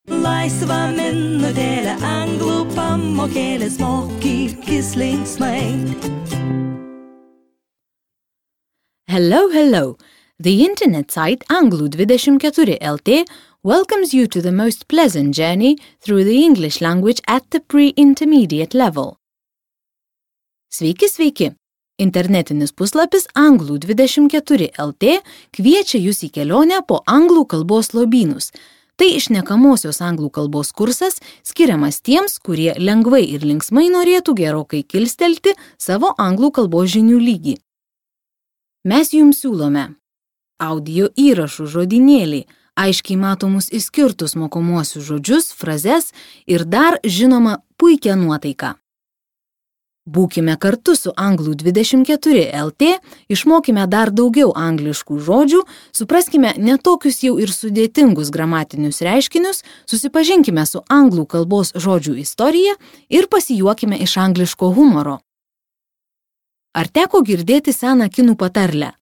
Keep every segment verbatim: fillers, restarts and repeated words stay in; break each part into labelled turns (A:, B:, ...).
A: Laisva minutėlė anglų pamokėlės mokykis linksmai.
B: Hello, hello. The internet site Anglų dvidešimt keturi L T welcomes you to the most pleasant journey through the English language at the pre-intermediate level. Sveiki, sveiki! Internetinis puslapis Anglų dvidešimt keturi L T kviečia jūs į kelionę po anglų kalbos lobynus. Tai šnekamosios anglų kalbos kursas skiriamas tiems, kurie lengvai ir linksmai norėtų gerokai kilstelti savo anglų kalbos žinių lygį. Mes jums siūlome audio įrašų žodynėlį, aiškiai matomus išskirtus mokomuosius žodžius, frazes ir dar, žinoma, puikią nuotaiką. Būkime kartu su Anglų dvidešimt keturi L T, išmokime dar daugiau angliškų žodžių, supraskime netokius jau ir sudėtingus gramatinius reiškinius, susipažinkime su anglų kalbos žodžių istorija ir pasijuokime iš angliško humoro. Ar teko girdėti seną kinų patarlę?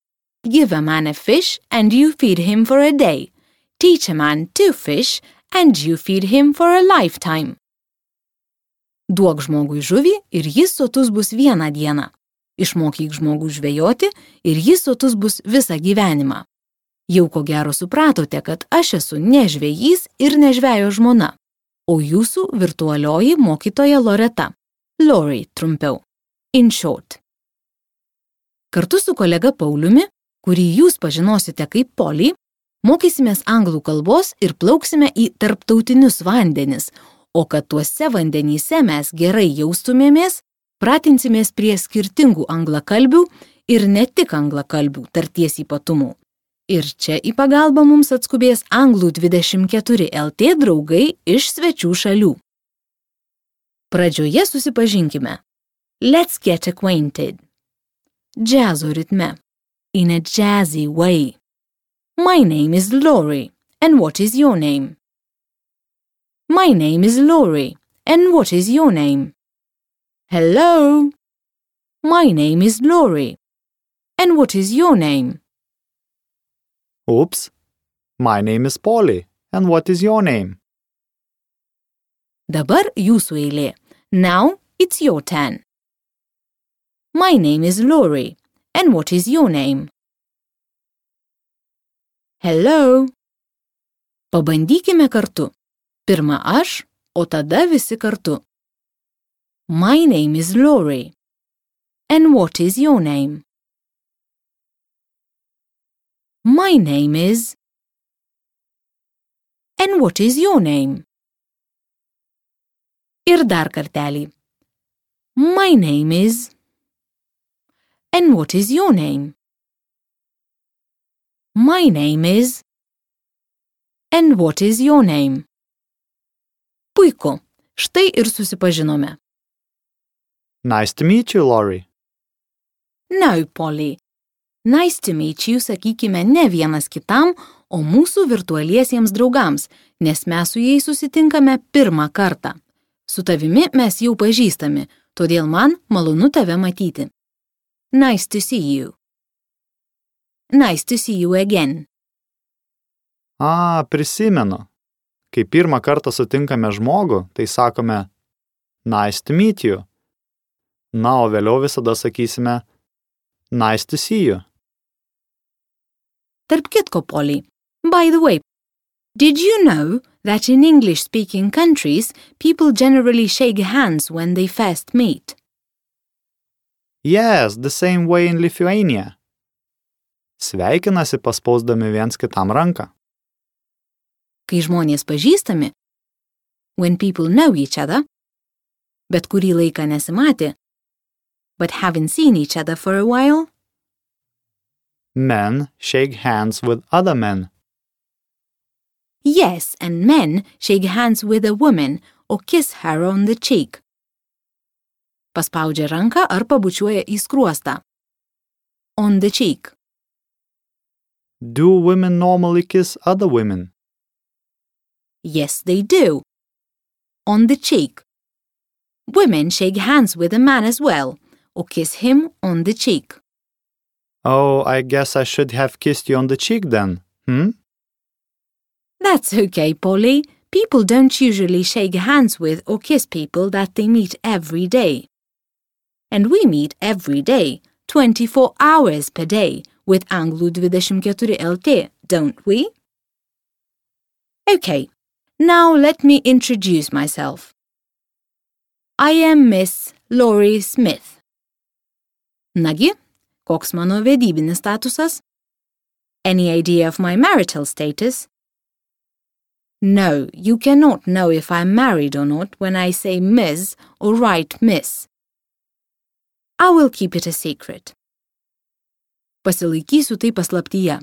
B: Give a man a fish and you feed him for a day. Teach a man to fish and you feed him for a lifetime. Duok žmogui žuvį ir jis sotus bus vieną dieną. Išmokyk žmogų žvejoti ir jis sotus bus visą gyvenimą. Jau ko gero supratote, kad aš esu ne žvejys ir ne žvejo žmona, o jūsų virtualioji mokytoja Loreta. Lori trumpiau. In short. Kartu su kolega Pauliumi, kurį jūs pažinosite kaip Polly, mokysimės anglų kalbos ir plauksime į tarptautinius vandenis, o kad tuose vandenyse mes gerai jaustumėmės, pratinsimės prie skirtingų anglakalbių ir ne tik anglakalbių tarties ypatumų. Ir čia į pagalbą mums atskubės Anglų dvidešimt keturi L T draugai iš svečių šalių. Pradžioje susipažinkime. Let's get acquainted. Džiazo ritme. In a jazzy way. My name is Lori, and what is your name? My name is Lori, and what is your name? Hello. My name is Lori, and what is your name?
C: Oops. My name is Polly, and what is your name?
B: Dabar jūsų eilė. Now it's your turn. My name is Lori, and what is your name? Hello. Pabandykime kartu. Pirma aš, o tada visi kartu. My name is Lori, and what is your name? My name is... And what is your name? Ir dar kartelį. My name is... And what is your name? My name is... And what is your name? Puiku, štai ir susipažinome.
C: Nice to meet you, Lori.
B: No, Polly. Nice to meet you sakykime ne vienas kitam, o mūsų virtualiesiems draugams, nes mes su jais susitinkame pirmą kartą. Su tavimi mes jau pažįstami, todėl man malonu tave matyti. Nice to see you. Nice to see you again.
C: A, prisimenu. Kai pirmą kartą sutinkame žmogų, tai sakome nice to meet you. Na, o vėliau visada sakysime nice to see you.
B: Tarp kitko, Polly, by the way, did you know that in English-speaking countries, people generally shake hands when they first meet?
C: Yes, the same way in Lithuania. Sveikinasi paspausdami viens kitam ranką.
B: Kai žmonės pažįstami, when people know each other, bet kurį laiką nesimatė, but haven't seen each other for a while,
C: Men shake hands with other men.
B: yes, and men shake hands with a woman or kiss her on the cheek. Paspaudžia ranką ar pabučiuoja į skruostą. On the cheek.
C: Do women normally kiss other women?
B: Yes, they do. On the cheek. Women shake hands with a man as well, or kiss him on the cheek.
C: Oh, I guess I should have kissed you on the cheek then, hmm?
B: That's okay, Polly. people don't usually shake hands with or kiss people that they meet every day. And we meet every day, twenty-four hours per day, with Anglų dvidešimt keturi L T, don't we? Okay, now let me introduce myself. I am Miss Laurie Smith. Nagi, koks mano vedybinis statusas? Any idea of my marital status? No, you cannot know if I'm married or not when I say Miss or write Miss. I will keep it a secret. Pasilaikysiu tai paslaptyje.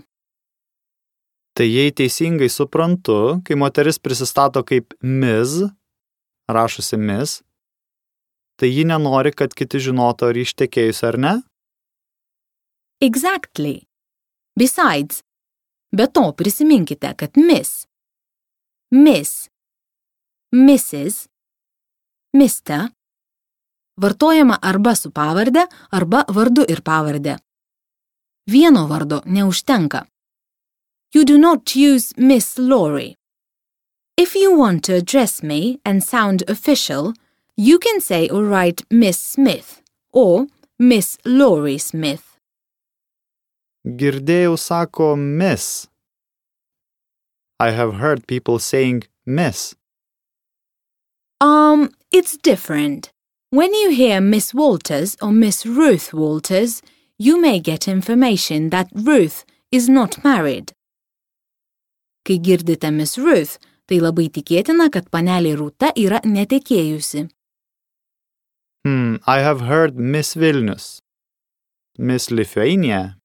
C: Tai jei teisingai suprantu, kai moteris prisistato kaip Miz, rašusi Miss, tai ji nenori, kad kiti žinotų, ar ištekėjusi ar ne?
B: Exactly. Besides, be to prisiminkite, kad Miss, Miss, Missus, Mister vartojama arba su pavarde, arba vardu ir pavarde. Vieno vardo neužtenka. You do not use Miss Laurie. If you want to address me and sound official, you can say or write Miss Smith or Miss Laurie Smith.
C: Girdėjau sako Miss. I have heard people saying Miss.
B: Um, it's different. When you hear Miss Walters or Miss Ruth Walters, you may get information that Ruth is not married. Kai girdite Miss Ruth, tai labai tikėtina, kad panelė Rūta yra netekėjusi.
C: Hmm, I have heard Miss Vilnius, Miss Lithuania,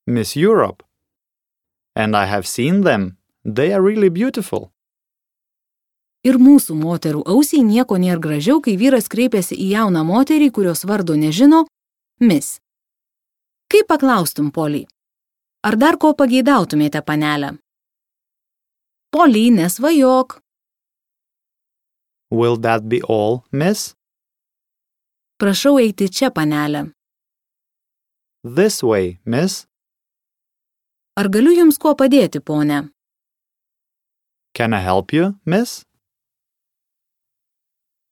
C: Miss Europe, and I have seen them. They are really beautiful.
B: Ir mūsų moterų ausiai nieko nėra gražiau, kai vyras kreipiasi į jauną moterį, kurios vardo nežino, Miss. Kaip paklaustum, Polly? Ar dar ko pageidautumėte, panelę? Polly, nesvajok.
C: Will that be all, Miss?
B: Prašau eiti čia, panelę.
C: This way, Miss.
B: Ar galiu jums kuo padėti, ponė?
C: Can I help you, Miss?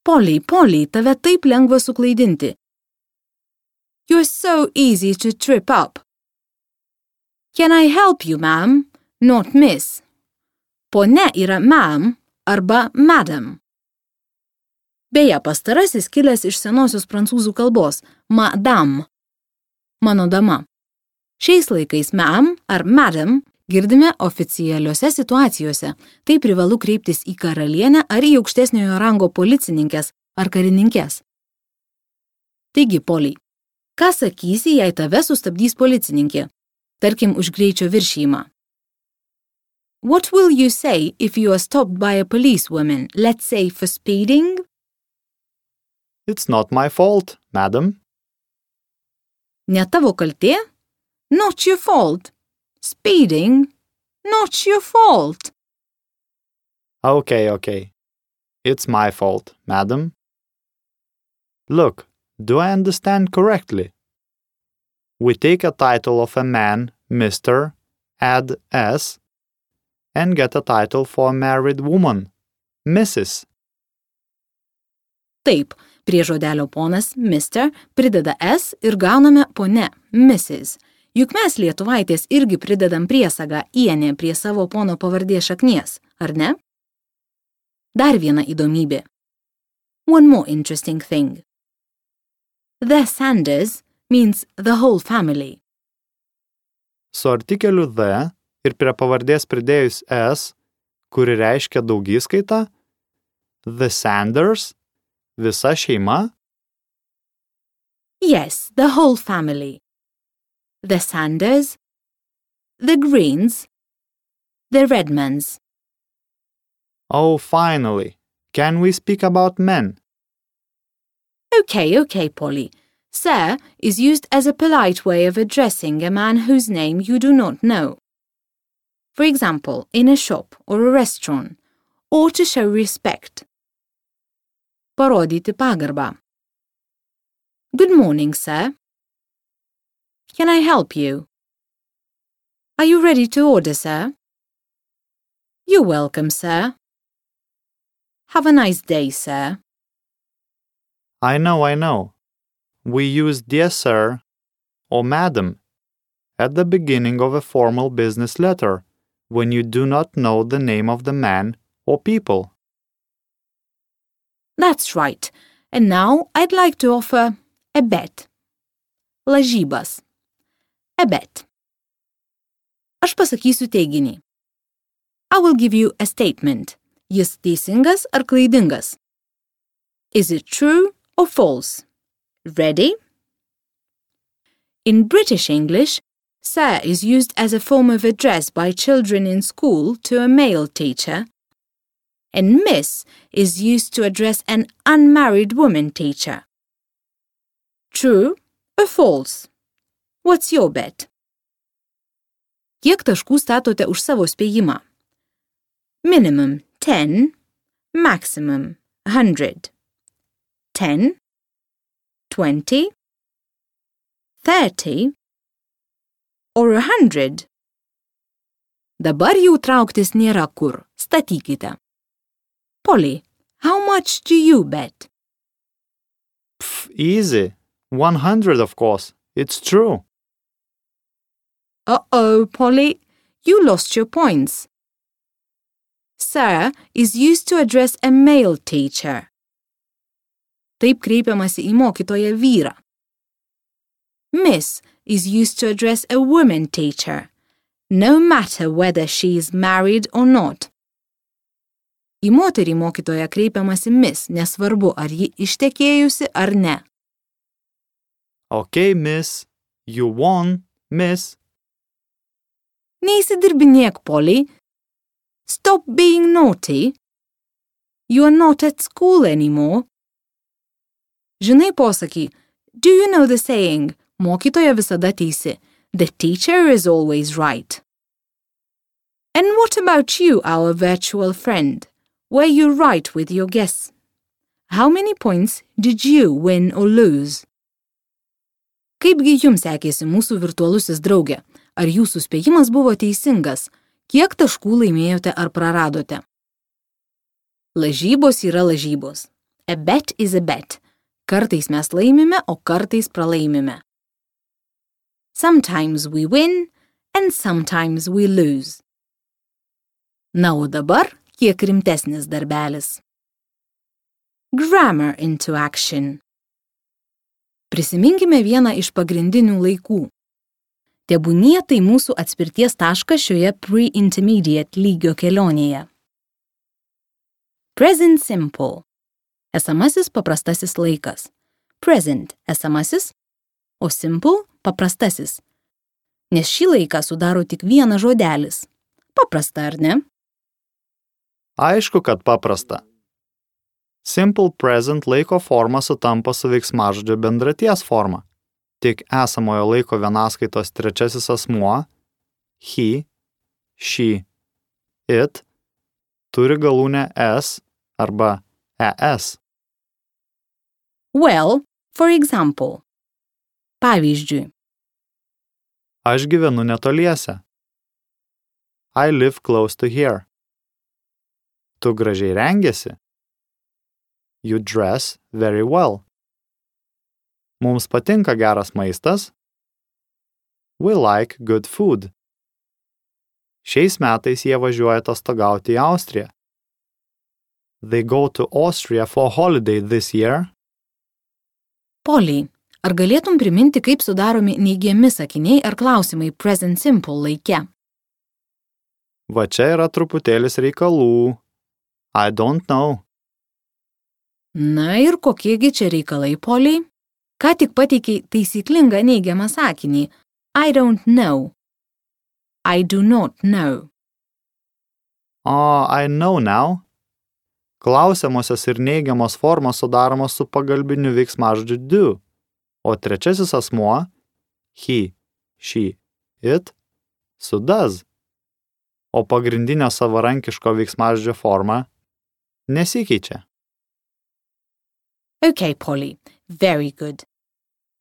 B: Polly, Polly, tave taip lengva suklaidinti. You're so easy to trip up. Can I help you, ma'am? Not miss. Pone yra ma'am arba madam. Beje, pastarasis kilęs iš senosios prancūzų kalbos madame. Mano dama. Šiais laikais ma'am ar madam girdime oficialiuose situacijose. Tai privalu kreiptis į karalienę ar į aukštesniojo rango policininkės ar karininkės. Taigi, Polly, ką sakysi, jei tave sustabdys policininkė? Tarkim, už greičio viršijimą. What will you say if you are stopped by a policewoman, let's say for speeding?
C: It's not my fault, madam.
B: Ne tavo kaltė? Not your fault. Speeding? Not your fault.
C: Okay, okay. It's my fault, madam. Look, do I understand correctly? We take a title of a man, Mister, add S, and get a title for a married woman, Missus
B: Taip, prie žodelio ponas, Mister, prideda S ir gauname pone, Missus Juk mes lietuvaitės irgi pridedam priesagą ienė prie savo pono pavardės šaknies, ar ne? Dar viena įdomybė. One more interesting thing. The Sanders means the whole family.
C: Su artikeliu the ir prie pavardės pridėjus S, kuri reiškia daugiskaitą, the Sanders, visa šeima?
B: Yes, the whole family. The Sanders, the Greens, the Redmonds.
C: Oh, finally. Can we speak about men?
B: Okay, okay, Polly. Sir is used as a polite way of addressing a man whose name you do not know. For example, in a shop or a restaurant, or to show respect. Parodyti pagarbą. Good morning, sir. Can I help you? Are you ready to order, sir? You're welcome, sir. Have a nice day, sir.
C: I know, I know. We use dear sir or madam at the beginning of a formal business letter when you do not know the name of the man or people.
B: That's right. And now I'd like to offer a bet. Lažybas. A bet. Aš pasakysiu teiginį. I will give you a statement. Jis teisingas ar klaidingas? Is it true or false? Ready? In British English, sir is used as a form of address by children in school to a male teacher, and miss is used to address an unmarried woman teacher. True or false? What's your bet? Kiek taškų statote už savo spėjimą? Minimum ten, maximum one hundred. ten, twenty, thirty, or one hundred. Dabar jau trauktis nėra kur. Statykite. Polly, how much do you bet?
C: Pff, easy. one hundred, of course. It's true.
B: Uh-oh, Polly, you lost your points. Sir is used to address a male teacher. Taip kreipiamasi į mokytoją vyrą. Miss is used to address a woman teacher, no matter whether she is married or not. Į moterį mokytoją kreipiamasi miss, nesvarbu, ar ji ištekėjusi ar ne.
C: Okay, miss. You won, miss.
B: Neįsidirbinėk, Polly. Stop being naughty. You are not at school anymore. Žinai posakį, do you know the saying, mokytoja visada teisi, the teacher is always right. And what about you, our virtual friend? Were you right with your guess? How many points did you win or lose? Kaipgi jums sekėsi mūsų virtualusis draugė? Ar jūsų spėjimas buvo teisingas? Kiek taškų laimėjote ar praradote? Lažybos yra lažybos. A bet is a bet. Kartais mes laimime, o kartais pralaimime. Sometimes we win and sometimes we lose. Na, o dabar kiek rimtesnis darbelis. Grammar into action. Prisiminkime vieną iš pagrindinių laikų. Tebūnie tai mūsų atspirties taškas šioje pre-intermediate lygio kelionėje. Present simple. Esamasis paprastasis laikas. Present esamasis, o simple paprastasis. Nes šį laiką sudaro tik vienas žodelis. Paprasta, ar ne?
C: Aišku, kad paprasta. Simple present laiko forma sutampa su veiksmažodžio bendraties forma. Tik esamojo laiko vienaskaitos trečiasis asmuo, he, she, it, turi galūnę s arba es.
B: Well, for example. Pavyzdžiui.
C: Aš gyvenu netoliese. I live close to here. Tu gražiai rengiesi. You dress very well. Mums patinka geras maistas. We like good food. Šiais metais jie važiuoja atostogauti į Austriją. They go to Austria for holiday this year.
B: Polly, ar galėtum priminti, kaip sudaromi neigiami sakiniai ar klausimai present simple laike?
C: Va čia yra truputėlis reikalų. I don't know.
B: Na ir kokiegi čia reikalai, Polly? Ką tik pateikiai taisyklingą neigiamą sakinį. I don't know. I do not know.
C: Oh, I know now. Klausiamosios ir neigiamos formos sudaromos su pagalbiniu veiksmažodžiu do, o trečiasis asmuo, he, she, it, su does, o pagrindinio savarankiško veiksmažodžio forma nesikeičia.
B: Okay, Polly, very good.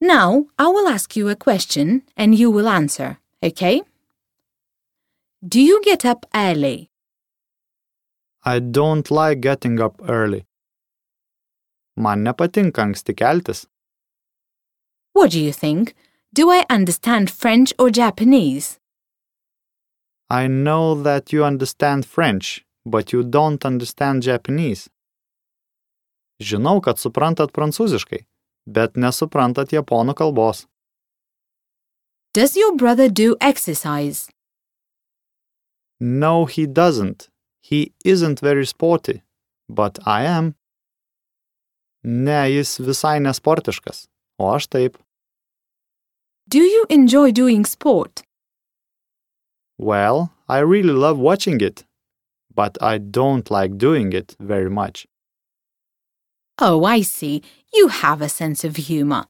B: Now, I will ask you a question and you will answer, okay? Do you get up early?
C: I don't like getting up early. Man nepatinka anksti keltis.
B: What do you think? Do I understand French or Japanese?
C: I know that you understand French, but you don't understand Japanese. Žinau, kad suprantat prancūziškai, bet nesuprantat japonų kalbos.
B: Does your brother do exercise?
C: No, he doesn't. He isn't very sporty, but I am. Ne, jis visai nesportiškas, o aš taip.
B: Do you enjoy doing sport?
C: Well, I really love watching it, but I don't like doing it very much.
B: Oh, I see. You have a sense of humor.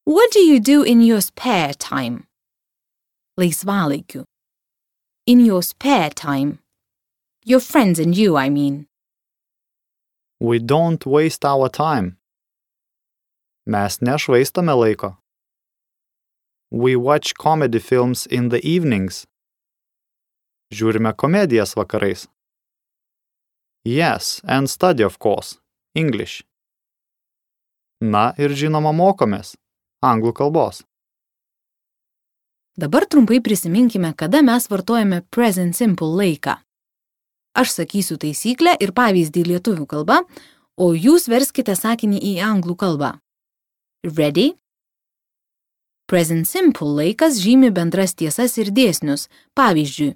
B: What do you do in your spare time? Laisvalaikiu. In your spare time. Your friends and you, I mean.
C: We don't waste our time. Mes nešvaistome laiko. We watch comedy films in the evenings. Žiūrime komedijas vakarais. Yes, and study, of course, English. Na ir žinoma mokomės anglų kalbos.
B: Dabar trumpai prisiminkime, kada mes vartojame present simple laiką. Aš sakysiu taisyklę ir pavyzdį lietuvių kalba, o jūs verskite sakinį į anglų kalbą. Ready? Present simple laikas žymi bendras tiesas ir dėsnius. Pavyzdžiui,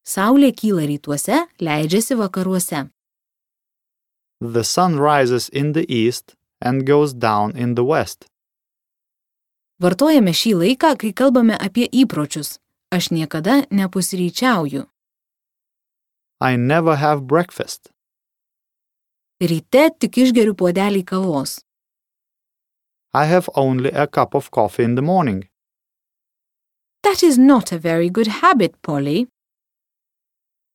B: Saulė kyla rytuose, leidžiasi vakaruose.
C: The sun rises in the east and goes down in the west.
B: Vartojame šį laiką, kai kalbame apie įpročius. Aš niekada nepusryčiauju.
C: I never have breakfast.
B: Ryte tik išgeriu puodelį kavos.
C: I have only a cup of coffee in the morning.
B: That is not a very good habit, Polly.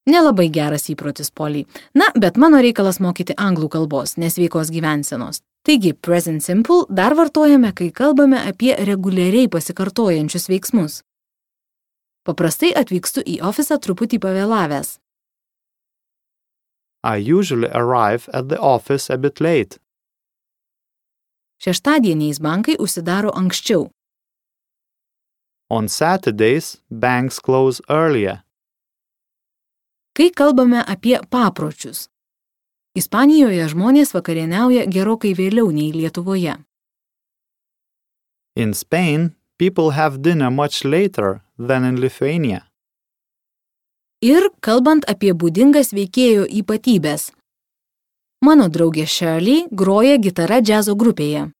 B: Nelabai geras įprotis, Polly. Na, bet mano reikalas mokyti anglų kalbos, nesveikos gyvensenos. Taigi, present simple dar vartojame, kai kalbame apie reguliariai pasikartojančius veiksmus. Paprastai atvykstu į ofisą truputį pavėlavęs.
C: I usually arrive at the office a bit late.
B: Šeštadieniais bankai užsidaro anksčiau.
C: On Saturdays, banks close earlier.
B: Kai kalbame apie papročius. Ispanijoje žmonės vakarieniauja gerokai vėliau nei Lietuvoje.
C: In Spain, people have dinner much later than in Lithuania.
B: Ir kalbant apie būdingas veikėjo ypatybės. Mano draugė Shirley groja gitarą džiazo grupėje.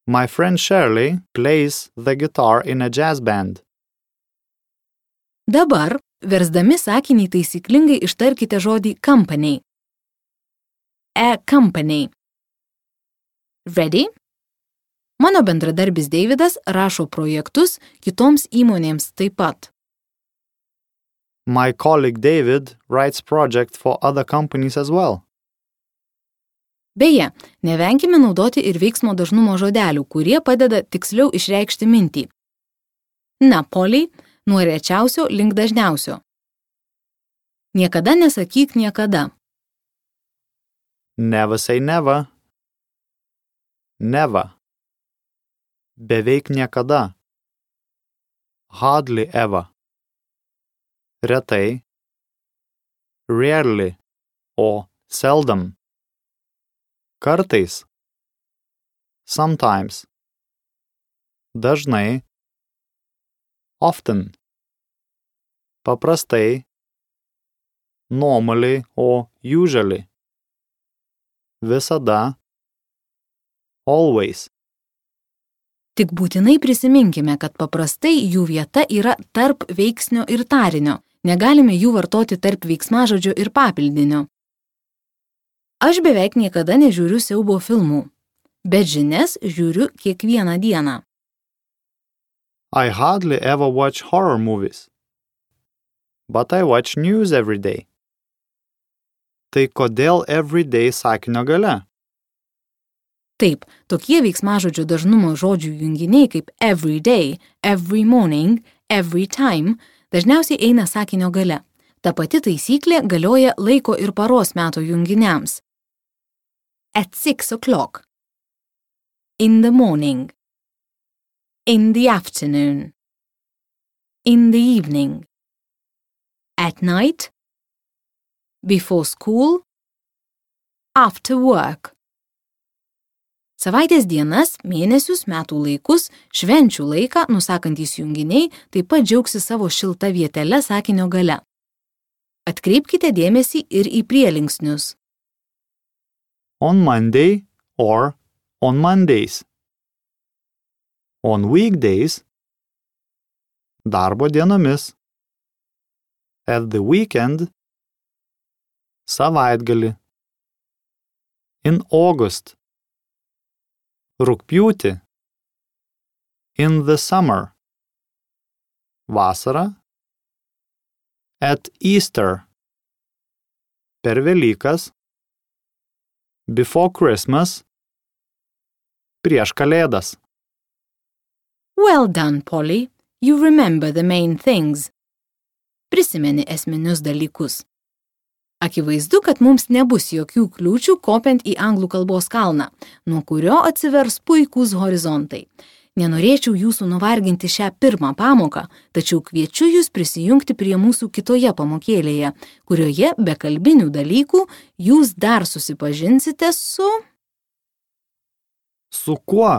C: My friend Shirley plays the guitar in a jazz band.
B: Dabar, versdami sakinį taisyklingai ištarkite žodį company. A company. Ready? Mano bendradarbis Davidas rašo projektus kitoms įmonėms taip pat.
C: My colleague David writes projects for other companies as well.
B: Beje, nevenkime naudoti ir veiksmo dažnumo žodelių, kurie padeda tiksliau išreikšti mintį. Na, Polly, nuo rečiausio link dažniausio. Niekada nesakyk niekada.
C: Never say never. Never. Beveik niekada. Hardly ever. Retai. Rarely. O seldom. Kartais. Sometimes. Dažnai. Often. Paprastai. Normally o usually. Visada. Always.
B: Tik būtinai prisiminkime, kad paprastai jų vieta yra tarp veiksnio ir tarinio. Negalime jų vartoti tarp veiksmažodžio ir papildinio. Aš beveik niekada nežiūriu siaubo filmų, bet žinias žiūriu kiekvieną dieną.
C: I hardly ever watch horror movies, but I watch news every day. Tai kodėl every day sakinio gale?
B: Taip, tokie veiksmažodžio dažnumo žodžių junginiai kaip every day, every morning, every time dažniausiai eina sakinio gale. Ta pati taisyklė galioja laiko ir paros meto junginiams. At six o'clock. In the morning. In the afternoon. In the evening. At night. Before school. After work. Savaitės dienas, mėnesius, metų laikus, švenčių laiką nusakantys junginiai taip pat džiaugsi savo šilta vietele sakinio gale. Atkreipkite dėmesį ir į prielinksnius.
C: On Monday or on Mondays. On weekdays. Darbo dienomis. At the weekend. Savaitgalį. In August. Rugpjūtį. In the summer. Vasarą. At Easter. Per Velykas. Before Christmas. Prieš Kalėdas.
B: Well done, Polly. You remember the main things. Prisimeni esminius dalykus. Akivaizdu, kad mums nebus jokių kliūčių kopiant į anglų kalbos kalną, nuo kurio atsivers puikūs horizontai. Nenorėčiau jūsų nuvarginti šią pirmą pamoką, tačiau kviečiu jūs prisijungti prie mūsų kitoje pamokėlėje, kurioje be kalbinių dalykų jūs dar susipažinsite su...
C: Su kuo?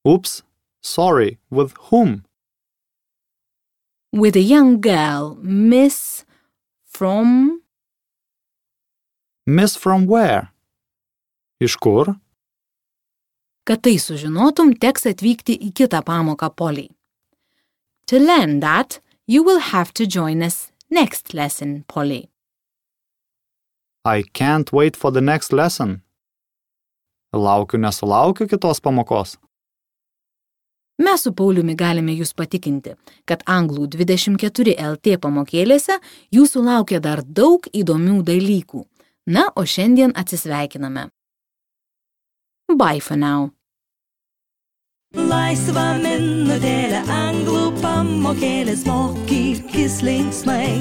C: Oops, sorry, with whom?
B: With a young girl, Miss from...
C: Miss from where? Iš kur?
B: Kad tai sužinotum, teks atvykti į kitą pamoką, Polly. To learn that, you will have to join us next lesson, Polly.
C: I can't wait for the next lesson. Laukiu nesulaukiu kitos pamokos.
B: Mes su Pauliumi galime jūs patikinti, kad Anglų dvidešimt keturi L T pamokėlėse jūsų laukia dar daug įdomių dalykų. Na, o šiandien atsisveikiname. Bye for now.
A: Laisva minutėlė anglų pamokėlės mokyk, jis linksmai.